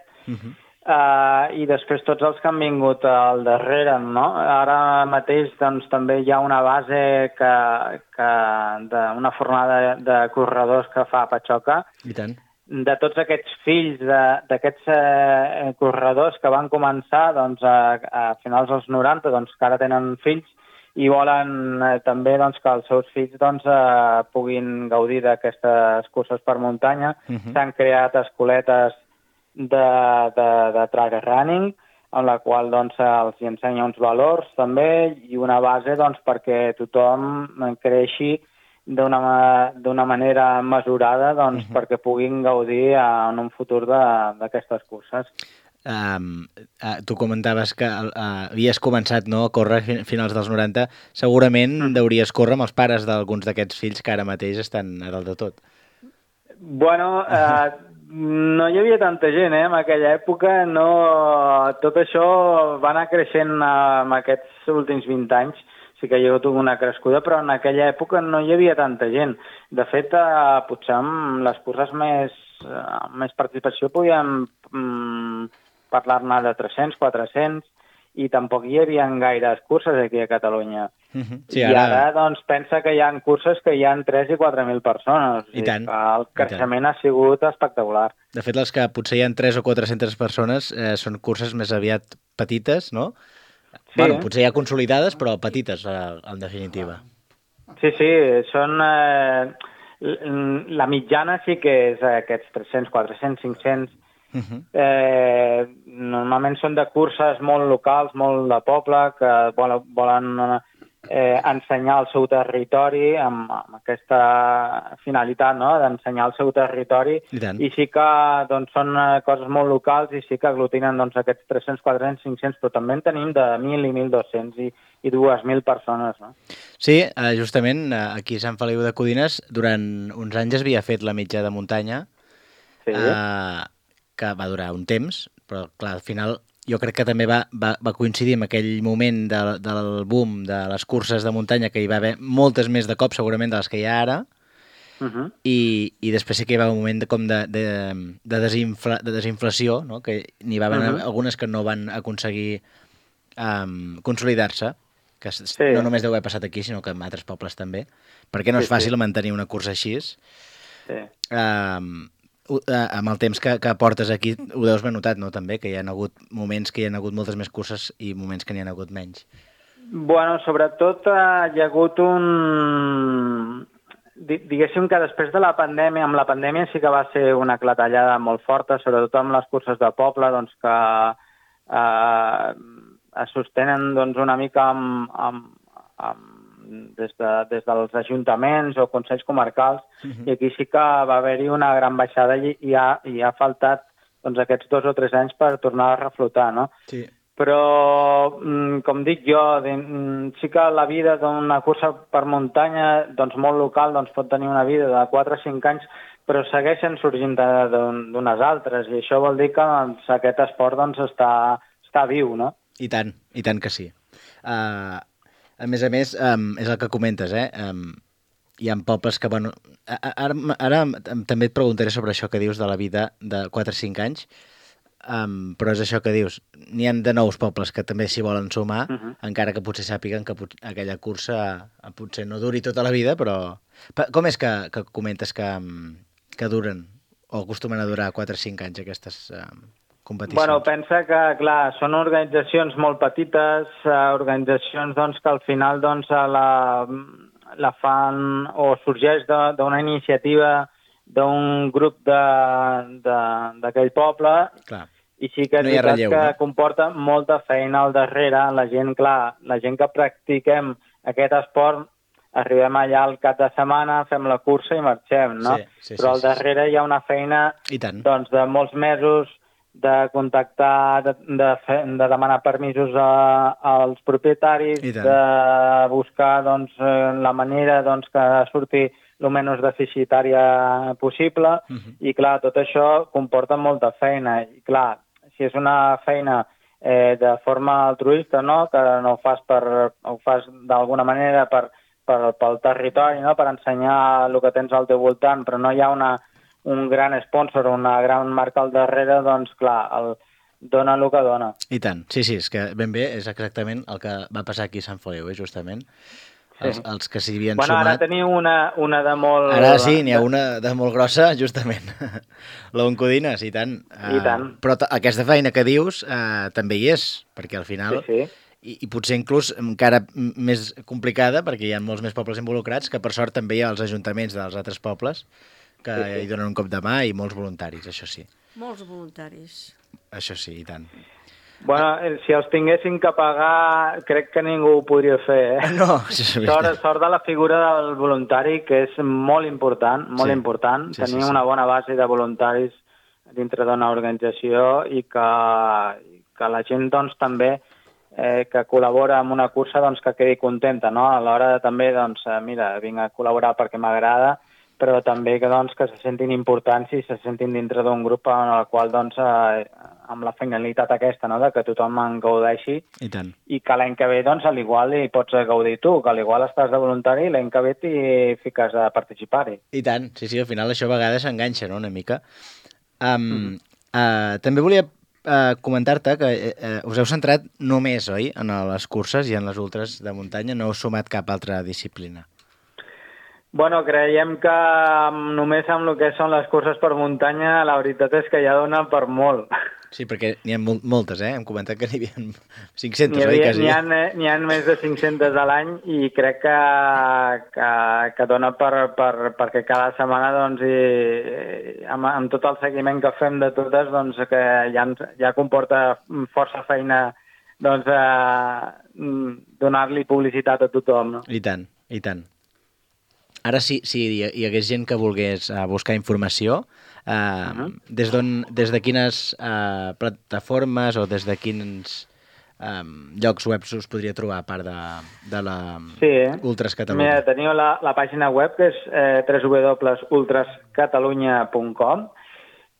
i després tots els que han vingut al darrere, no? Ara mateix, doncs, també hi ha una base d'una fornada de corredors que fa Patxoca. I tant. De tots aquests fills d'aquests corredors que van començar, doncs, a finals dels 90, doncs, que ara tenen fills i volen també, doncs, que els seus fills, doncs, puguin gaudir d'aquestes curses per muntanya. S'han creat escoletes de trail running, en la qual, doncs, els ensenya uns valors també i una base, doncs, perquè tothom creixi d'una manera mesurada, doncs, perquè puguin gaudir en un futur d'aquestes curses. Tu comentaves que havies començat, no, a córrer a finals dels 90. Segurament deuries córrer amb els pares d'alguns d'aquests fills que ara mateix estan a dalt de tot. Bueno, no hi havia tanta gent, en aquella època. Tot això va anar creixent en aquests últims 20 anys. Sí que hi ha hagut una crescuda, però en aquella època no hi havia tanta gent. De fet, potser amb les curses més participació podíem parlar-ne de 300, 400, i tampoc hi havia gaires curses aquí a Catalunya. Sí, I ara, doncs, pensa que hi ha curses que hi ha 3 i 4.000 persones. I tant. El creixement ha sigut espectacular. De fet, les que potser hi ha 3 o 400 persones són curses més aviat petites, no? Sí. Bueno, potser ja consolidades, però petites, en definitiva. Sí, són... La mitjana sí que és aquests 300, 400, 500... Normalment són de curses molt locals, molt de poble, que volen ensenyar el seu territori amb aquesta finalitat, no?, d'ensenyar el seu territori, i sí que, doncs, són coses molt locals i sí que aglutinen, doncs, aquests 300, 400, 500, però també en tenim de 1.000 i 1.200 i 2.000 persones, no? Sí, justament aquí a Sant Feliu de Codines durant uns anys es havia fet la mitja de muntanya, que va durar un temps, però clar, al final jo crec que també va coincidir amb aquell moment del boom de les curses de muntanya, que hi va haver moltes més de cop, segurament, de les que hi ha ara, i després sí que hi va un moment de desinflació, no? Que n'hi va haver algunes que no van aconseguir consolidar-se, que no només deu haver passat aquí, sinó que en altres pobles també, perquè no és fàcil mantenir una cursa així. Amb el temps que portes aquí ho deus haver notat, no? També, que hi ha hagut moments que hi ha hagut moltes més curses i moments que n'hi ha hagut menys. Bueno, sobretot hi ha hagut diguéssim que després de la pandèmia, amb la pandèmia sí que va ser una clatellada molt forta, sobretot amb les curses de poble, doncs que es sostenen doncs, una mica des dels ajuntaments o consells comarcals, i aquí sí que va haver-hi una gran baixada i ha faltat doncs, aquests 2 o 3 anys per tornar a reflotar, no? Sí. Però, com dic jo, sí que la vida d'una cursa per muntanya, doncs molt local, doncs pot tenir una vida de 4 o 5 anys, però segueixen sorgint d'unes altres, i això vol dir que doncs, aquest esport doncs, està viu, no? I tant que sí. A més, és el que comentes, hi ha pobles que, bueno... Ara també et preguntaré sobre això que dius de la vida de 4 o 5 anys, però és això que dius, n'hi ha de nous pobles que també s'hi volen sumar, encara que potser sàpiguen que aquella cursa potser no duri tota la vida, però... Com és que comentes que duren o acostumen a durar 4 o 5 anys aquestes competicions? Bueno, pensa que, clar, són organitzacions molt petites, organitzacions doncs, que al final doncs, la fan o sorgeix d'una iniciativa d'un grup d'aquell poble. Clar. I sí que és veritat que comporta molta feina al darrere. La gent que practiquem aquest esport, arribem allà al cap de setmana, fem la cursa i marxem, no? Però al darrere hi ha una feina doncs, de molts mesos de contactar, de demanar permisos als propietaris, de buscar doncs, la manera doncs, que surti el menys deficitària possible, i clar, tot això comporta molta feina. I clar, si és una feina de forma altruista, no? Que no ho fas d'alguna manera pel territori, no? Per ensenyar el que tens al teu voltant, però no hi ha un gran sponsor, una gran marca al darrere, doncs clar, dona el que dona. I tant, sí, és que ben bé és exactament el que va passar aquí a Sant Feliu, justament. Els que s'hi havien sumat... Ara teniu una de molt... Ara sí, n'hi ha una de molt grossa, justament. L'Oncodines, i tant. I tant. Però aquesta feina que dius també hi és, perquè al final... I potser inclús encara més complicada, perquè hi ha molts més pobles involucrats, que per sort també hi ha els ajuntaments dels altres pobles que hi donen un cop de mà, i molts voluntaris, això sí. Molts voluntaris. Això sí, i tant. Bueno, si els tinguessin que pagar, crec que ningú ho podria fer, No, això és veritat. Sort de la figura del voluntari, que és molt important, important. Tenir una bona base de voluntaris dintre d'una organització i que la gent doncs, també que col·labora amb una cursa doncs, que quedi contenta, no? A l'hora de també, doncs, mira, vinc a col·laborar perquè m'agrada, però també que se sentin importants i se sentin dintre d'un grup en el qual, doncs, amb la finalitat aquesta, no?, de que tothom en gaudeixi. I tant. I que l'any que ve, doncs, al igual hi pots gaudir tu, que al igual estàs de voluntari i l'any que ve t'hi fiques a participar-hi. I tant, sí, al final això a vegades s'enganxa, no?, una mica. També volia comentar-te que us heu centrat només, oi?, en les curses i en les ultres de muntanya, no heu sumat cap altra disciplina. Bueno, creiem que només amb el que són les curses per muntanya, la veritat és que ja dona per molt. Sí, perquè n'hi ha moltes, Hem comentat que n'hi havia 500, oi? N'hi ha més de 500 a l'any i crec que dona perquè cada setmana, doncs, amb tot el seguiment que fem de totes, doncs, que ja comporta força feina, doncs, donar-li publicitat a tothom, no? I tant, i tant. Ara, si hi hagués gent que volgués buscar informació, des de quines plataformes o des de quins llocs web us podria trobar, a part de la Ultras Catalunya? Mira, teniu la pàgina web, que és www.ultrascatalunya.com,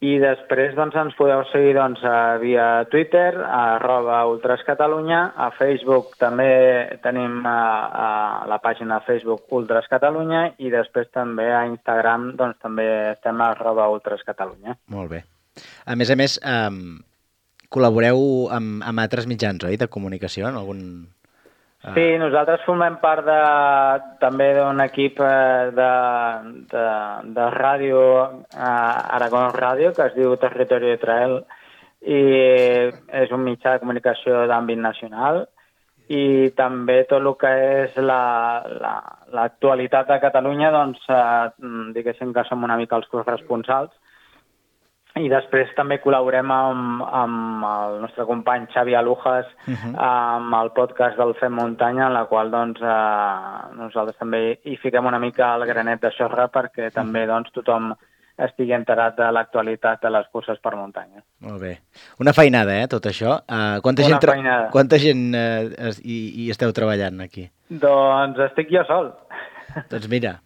I després doncs, ens podeu seguir doncs, via Twitter, @ultrascatalunya, a Facebook també tenim la pàgina Facebook Ultras Catalunya i després també a Instagram doncs, també estem a @ultrascatalunya. Molt bé. A més, col·laboreu amb altres mitjans, oi?, de comunicació, en algun... Sí, nosaltres formem part també d'un equip de ràdio, Aragón Ràdio, que es diu Territori de Trael, i és un mitjà de comunicació d'àmbit nacional, i també tot el que és l'actualitat de Catalunya, doncs, diguéssim que som una mica els corresponsals. I després també col·laborem amb el nostre company Xavi Alujas amb el podcast del Fem Muntanya, en la qual doncs, nosaltres també hi fiquem una mica el granet de sorra perquè també doncs, tothom estigui enterat de l'actualitat de les curses per muntanya. Molt bé. Una feinada, tot això. Quanta gent hi esteu treballant aquí? Doncs estic jo sol. Doncs mira...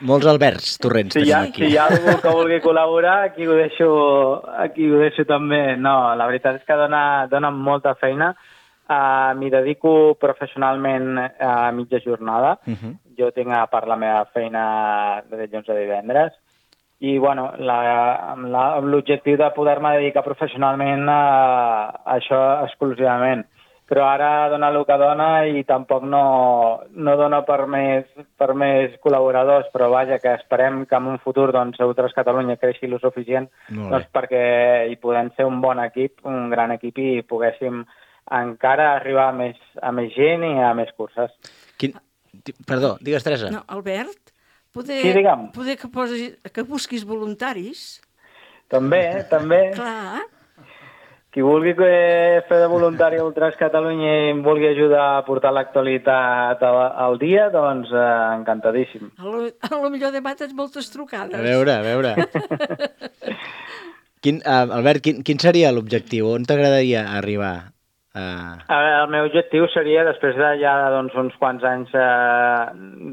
Molts Alberts Torrents tenim aquí. Si hi ha algú que vulgui col·laborar, aquí ho deixo també. No, la veritat és que dona molta feina. M'hi dedico professionalment a mitja jornada. Jo tinc a part la meva feina de dilluns a divendres. I, bueno, amb l'objectiu de poder-me dedicar professionalment a això exclusivament. Però ara dona el que dona i tampoc no dona per més col·laboradors, però vaja, que esperem que en un futur doncs, Ultras Catalunya creixi el suficient doncs, perquè hi podem ser un bon equip, un gran equip i poguéssim encara arribar a més gent i a més curses. Perdó, digues, Teresa. No, Albert, poder que busquis voluntaris. També. Clar. Qui vulgui fer de voluntari a Ultras Catalunya i em vulgui ajudar a portar l'actualitat al dia, doncs encantadíssim. A lo millor demà tens moltes trucades. A veure. Albert, quin seria l'objectiu? On t'agradaria arribar? El meu objectiu seria, després de ja doncs, uns quants anys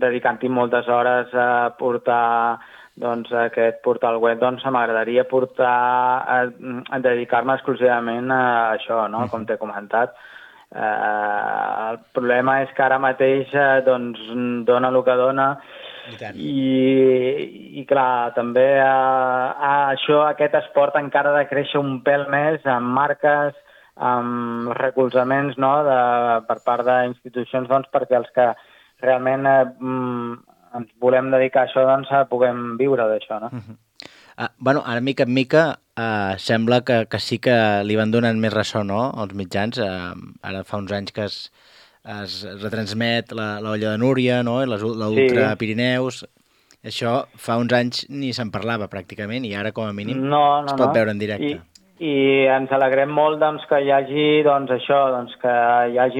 dedicant-hi moltes hores a portar doncs, aquest portal web, doncs m'agradaria a dedicar-me exclusivament a això, no? Com t'he comentat. El problema és que ara mateix doncs, dona el que dona i clar, també aquest esport encara ha de créixer un pèl més amb marques, amb recolzaments per part d'institucions doncs, perquè els que realment ens volem dedicar a això, doncs puguem viure d'això, no? Bueno, ara mica en mica sembla que sí que li van donant més ressò, no?, als mitjans. Ara fa uns anys que es retransmet l'Olla de Núria, no?, l'Ultra Pirineus. Això fa uns anys ni se'n parlava pràcticament i ara com a mínim es pot veure en directe. I ens alegrem molt doncs, que hi hagi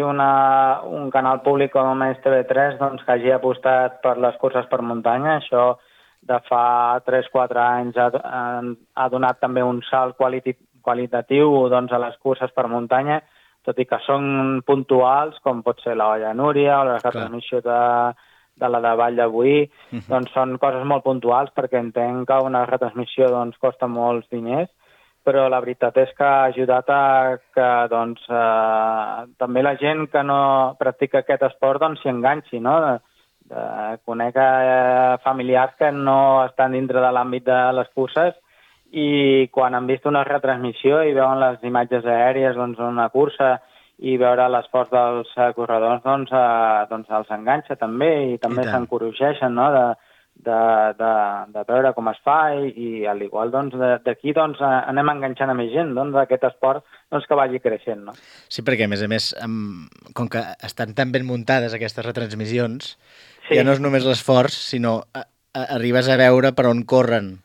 un canal públic com és TV3 doncs, que hagi apostat per les curses per muntanya. Això de fa 3-4 anys ha donat també un salt qualitatiu doncs, a les curses per muntanya, tot i que són puntuals, com pot ser l'Olla Núria o la retransmissió de la de Vall de Boí, doncs són coses molt puntuals perquè entenc que una retransmissió doncs, costa molts diners, però la veritat és que ha ajudat a que doncs, també la gent que no practica aquest esport doncs, s'hi enganxi, no? Conec familiars que no estan dintre de l'àmbit de les curses i quan han vist una retransmissió i veuen les imatges aèries d'una cursa i veure l'esforç dels corredors doncs els enganxa també i també s'encorregeixen, no?, de veure com es fa i al igual doncs, d'aquí doncs, anem enganxant a més gent d'aquest esport doncs, que vagi creixent. No? Sí, perquè a més, com que estan tan ben muntades aquestes retransmissions, ja no és només l'esforç, sinó arribes a veure per on corren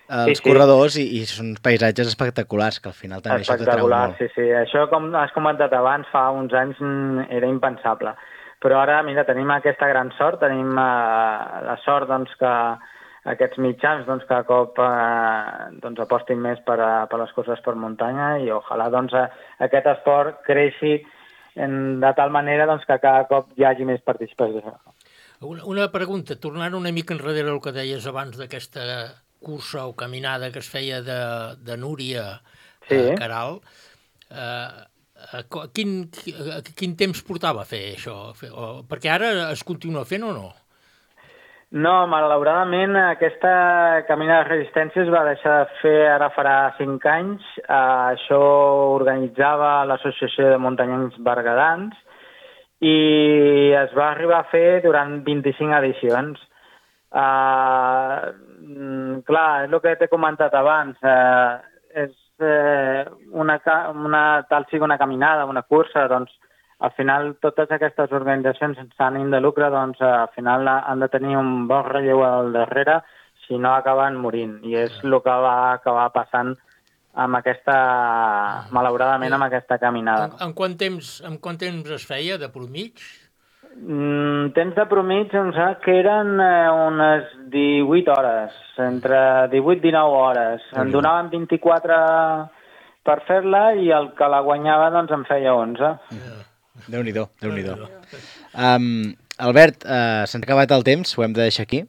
els corredors i són paisatges espectaculars, que al final també això t'atrau molt. Sí. Això, com has comentat abans, fa uns anys era impensable. Però ara, mira, tenim aquesta gran sort, tenim la sort doncs, que aquests mitjans doncs, cada cop apostin més per les curses per muntanya i ojalà doncs, aquest esport creixi de tal manera doncs, que cada cop hi hagi més participació. Una pregunta, tornant una mica enrere al que deies abans d'aquesta cursa o caminada que es feia de Núria Sí. a Caral, quin temps portava a fer això? Perquè ara es continua fent o no? No, malauradament aquesta caminada de resistència es va deixar de fer ara farà 5 anys. Això organitzava l'Associació de Muntanyencs Berguedans i es va arribar a fer durant 25 edicions. Clar, és el que t'he comentat abans. És tal sigui una caminada, una cursa, doncs al final totes aquestes organitzacions sense ànim de lucre doncs al final han de tenir un bon relleu al darrere, si no acaben morint. I és el que va acabar passant amb aquesta, malauradament, amb aquesta caminada. En quant temps es feia de promig? Temps de promig em sembla que eren unes 18 hores, entre 18 i 19 hores. En donaven 24 per fer-la i el que la guanyava doncs en feia 11. Déu-n'hi-do, Déu-n'hi-do. Albert, s'ha acabat el temps, ho hem de deixar aquí.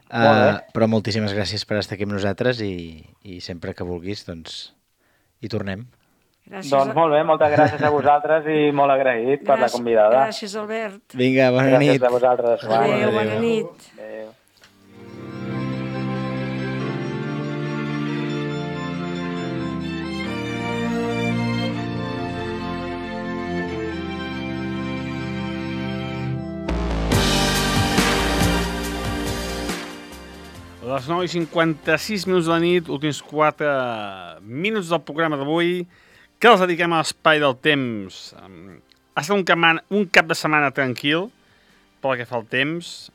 Però moltíssimes gràcies per estar aquí amb nosaltres i sempre que vulguis doncs hi tornem. Gràcies. Doncs molt bé, moltes gràcies a vosaltres i molt agraït per la convidada. Gràcies, Albert. Vinga, bona nit. Gràcies a vosaltres. Adéu, bona nit. Adéu. Les 9:56 de la nit, últims 4 minuts del programa d'avui, que els dediquem a l'espai del temps. Ha estat un cap de setmana tranquil, pel que fa al temps,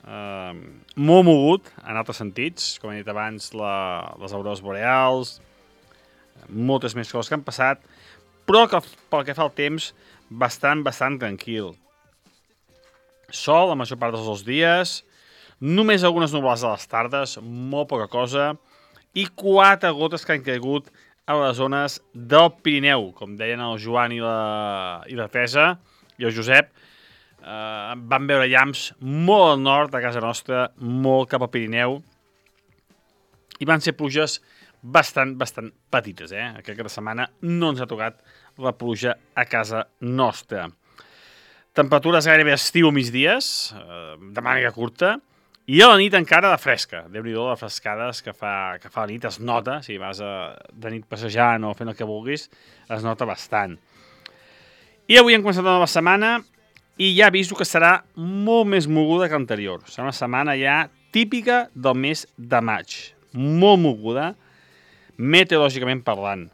molt mogut, en altres sentits, com he dit abans, les aurores boreals, moltes més coses que han passat, però que, pel que fa al temps, bastant tranquil. Sol la major part dels 2 dies, només algunes nuvolades a les tardes, molt poca cosa, i 4 gotes que han caigut a les zones del Pirineu. Com deien el Joan i la Teresa i el Josep, van veure llamps molt al nord de casa nostra, molt cap al Pirineu, i van ser pluges bastant petites. Aquesta setmana no ens ha tocat la pluja a casa nostra. Temperatures gairebé estiu a migdies, de màniga curta, i a la nit encara de fresca. Déu-n'hi-do, les frescades que fa la nit es nota, si vas de nit passejant o fent el que vulguis, es nota bastant. I avui hem començat una nova setmana i ja aviso que serà molt més moguda que l'anterior. Serà una setmana ja típica del mes de maig. Molt moguda, meteorològicament parlant.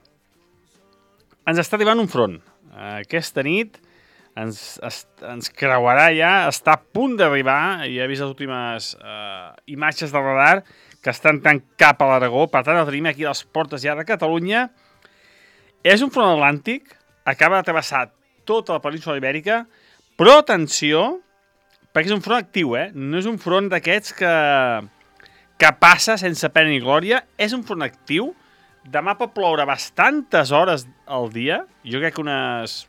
Ens està arribant un front. Aquesta nit ens creuarà ja, està a punt d'arribar, i he vist les últimes imatges del radar que estan tant cap a l'Aragó, per tant el tenim aquí a les portes ja de Catalunya. És un front atlàntic, acaba de travessar tota la península ibèrica, però atenció, perquè és un front actiu, no és un front d'aquests que passa sense pena ni glòria, és un front actiu. Demà pot ploure bastantes hores al dia, jo crec que unes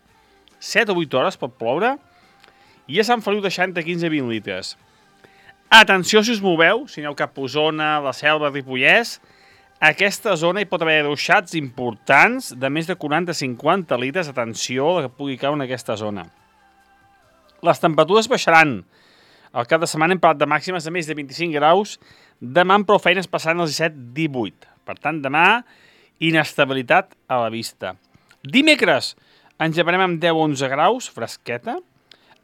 7 o 8 hores pot ploure, i a Sant Feliu deixant de 15 a 20 litres. Atenció si us moveu, si aneu cap a Osona, la Selva, Ripollès, aquesta zona hi pot haver ruixats importants de més de 40-50 litres, atenció que pugui caure en aquesta zona. Les temperatures baixaran. Al cap de setmana hem parlat de màximes de més de 25 graus, demà amb prou feines passant els 17-18. Per tant, demà, inestabilitat a la vista. Dimecres, ens llevarem amb 10-11 graus, fresqueta.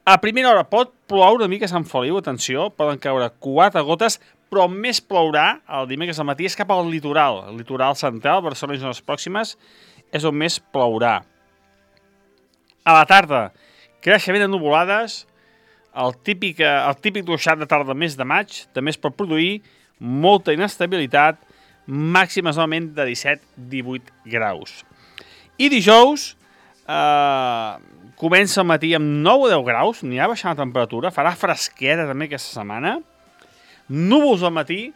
A primera hora pot ploure una mica a Sant Feliu, atenció, poden caure 4 gotes, però més plourà el dimecres al matí és cap al litoral. El litoral central, Barcelona i zones pròximes, és on més plourà. A la tarda, creixement de nuvolades, el típic ruixat de tarda del mes de maig, també es pot produir molta inestabilitat, màximes normalment de 17-18 graus. I dijous, comença al matí amb 9 o 10 graus, anirà baixant la temperatura, farà fresqueta també aquesta setmana, núvols al matí